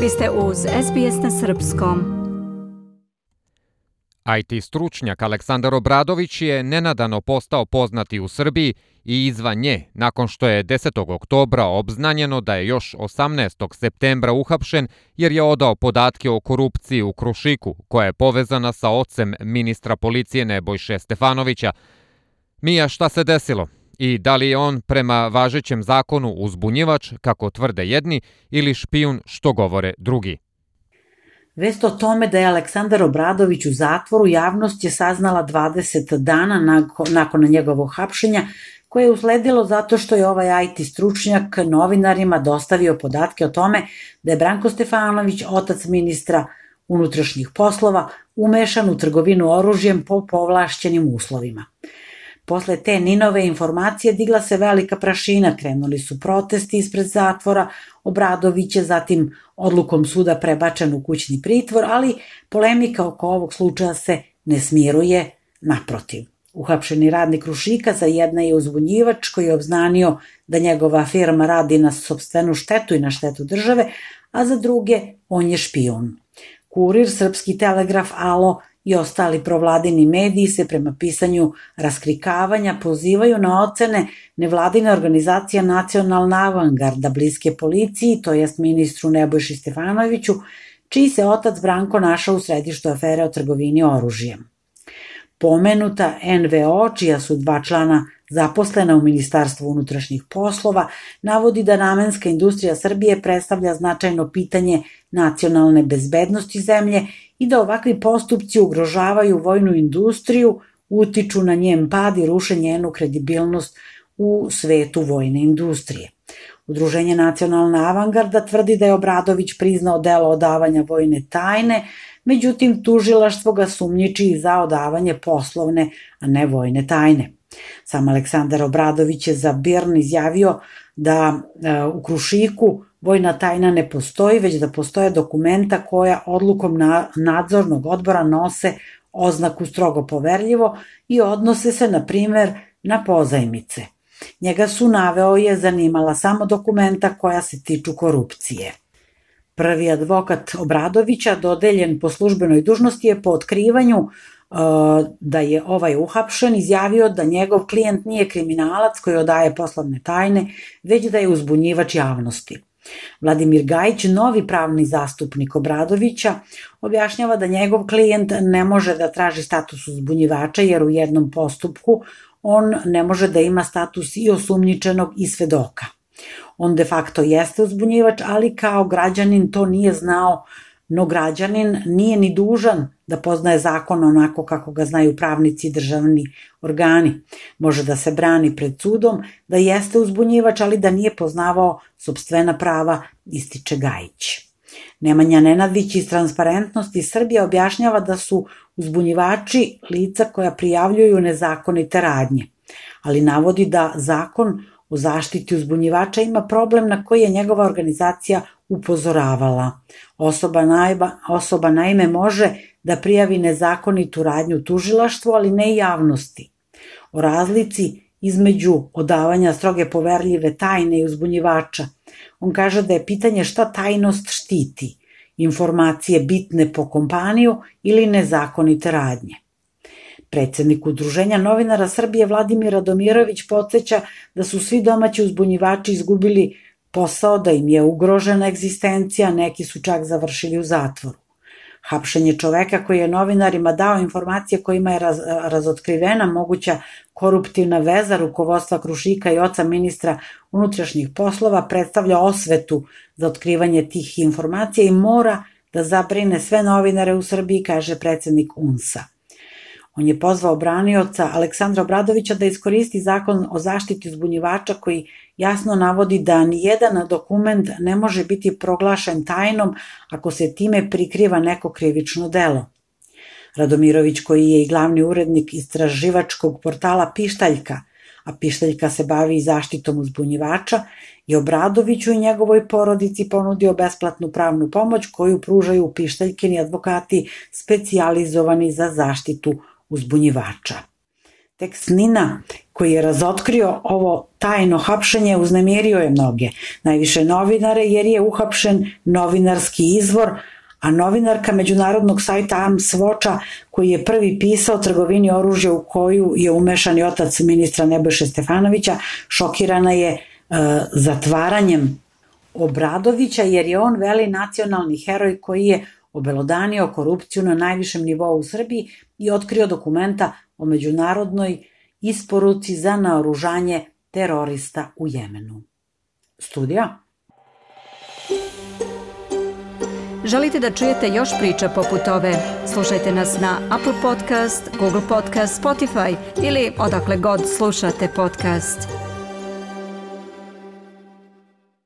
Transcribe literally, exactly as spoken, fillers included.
Vi ste uz S B S na srpskom. I T stručnjak Aleksandar Obradović je nenadano postao poznati u Srbiji i izvan nje, nakon što je desetog oktobra obznanjeno da je još osamnaestog septembra uhapšen jer je odao podatke o korupciji u Krušiku, koja je povezana sa ocem ministra policije Nebojše Stefanovića. Mija, šta se desilo? I da li je on prema važećem zakonu uzbunjivač, kako tvrde jedni, ili špijun, što govore drugi? Vest o tome da je Aleksandar Obradović u zatvoru javnost je saznala dvadeset dana nakon, nakon njegovog hapšenja, koje je usledilo zato što je ovaj I T stručnjak novinarima dostavio podatke o tome da je Branko Stefanović, otac ministra unutrašnjih poslova, umešan u trgovinu oružjem po povlašćenim uslovima. Posle te Ninove informacije digla se velika prašina, krenuli su protesti ispred zatvora, Obradović je zatim odlukom suda prebačen u kućni pritvor, ali polemika oko ovog slučaja se ne smiruje, naprotiv. Uhapšeni radnik Krušika za jedna je uzbunjivač koji je obznanio da njegova firma radi na sopstvenu štetu i na štetu države, a za druge on je špijun. Kurir, Srpski telegraf, Alo i ostali provladini mediji se prema pisanju raskrikavanja pozivaju na ocene nevladine organizacije Nacionalna avangarda bliske policiji, to jest ministru Nebojši Stefanoviću, čiji se otac Branko našao u središtu afere o trgovini oružjem. Pomenuta N V O, čija su dva člana zaposlena u Ministarstvu unutrašnjih poslova, navodi da namenska industrija Srbije predstavlja značajno pitanje nacionalne bezbednosti zemlje i da ovakvi postupci ugrožavaju vojnu industriju, utiču na njen pad i ruše njenu kredibilnost u svetu vojne industrije. Udruženje Nacionalna avangarda tvrdi da je Obradović priznao delo odavanja vojne tajne, međutim tužilaštvo ga sumnjiči za odavanje poslovne, a ne vojne tajne. Sam Aleksandar Obradović je za B I R N izjavio da e, u Krušiku vojna tajna ne postoji, već da postoje dokumenta koja odlukom na, nadzornog odbora nose oznaku strogo poverljivo i odnose se, na primer, na pozajmice. Njega su naveo je zanimala samo dokumenta koja se tiču korupcije. Prvi advokat Obradovića, dodeljen po službenoj dužnosti, je po otkrivanju da je ovaj uhapšen izjavio da njegov klijent nije kriminalac koji odaje poslovne tajne, već da je uzbunjivač javnosti. Vladimir Gajić, novi pravni zastupnik Obradovića, objašnjava da njegov klijent ne može da traži status uzbunjivača jer u jednom postupku on ne može da ima status i osumnjičenog i svedoka. On de facto jeste uzbunjivač, ali kao građanin to nije znao, no građanin nije ni dužan da poznaje zakon onako kako ga znaju pravnici i državni organi. Može da se brani pred sudom da jeste uzbunjivač, ali da nije poznavao sopstvena prava, ističe Gajić. Nemanja Nenadić iz Transparentnosti Srbije objašnjava da su uzbunjivači lica koja prijavljuju nezakonite radnje, ali navodi da zakon o zaštiti uzbunjivača ima problem na koji je njegova organizacija upozoravala. Osoba, najba, osoba naime može da prijavi nezakonitu radnju tužilaštvu, ali ne i javnosti. O razlici između odavanja stroge poverljive tajne i uzbunjivača. On kaže da je pitanje šta tajnost štiti, informacije bitne po kompaniju ili nezakonite radnje. Predsednik Udruženja novinara Srbije Vladimir Radomirović podsjeća da su svi domaći uzbunjivači izgubili posao, da im je ugrožena egzistencija, neki su čak završili u zatvoru. Hapšenje čoveka koji je novinarima dao informacije kojima je raz, razotkrivena moguća koruptivna veza rukovodstva Krušika i oca ministra unutrašnjih poslova predstavlja osvetu za otkrivanje tih informacija i mora da zabrine sve novinare u Srbiji, kaže predsednik U N S-a. On je pozvao branioca Aleksandra Obradovića da iskoristi zakon o zaštiti uzbunjivača koji jasno navodi da nijedan dokument ne može biti proglašen tajnom ako se time prikriva neko krivično delo. Radomirović, koji je i glavni urednik istraživačkog portala Pištaljka, a Pištaljka se bavi zaštitom uzbunjivača, je Obradoviću i njegovoj porodici ponudio besplatnu pravnu pomoć koju pružaju Pištaljkini advokati specijalizovani za zaštitu uzbunjivača. Tekst Nina koji je razotkrio ovo tajno hapšenje uznemirio je mnoge, najviše novinare jer je uhapšen novinarski izvor, a novinarka međunarodnog sajta Arms Watcha koji je prvi pisao trgovini oružja u koju je umešan i otac ministra Nebojše Stefanovića, šokirana je e, zatvaranjem Obradovića jer je on veli nacionalni heroj koji je obelodanio korupciju na najvišem nivou u Srbiji i otkrio dokumenta o međunarodnoj isporuci za naoružanje terorista u Jemenu. Studija. Želite da čujete još priča poput ove? Slušajte nas na Apple Podcast, Google Podcast, Spotify ili odakle god slušate podcast.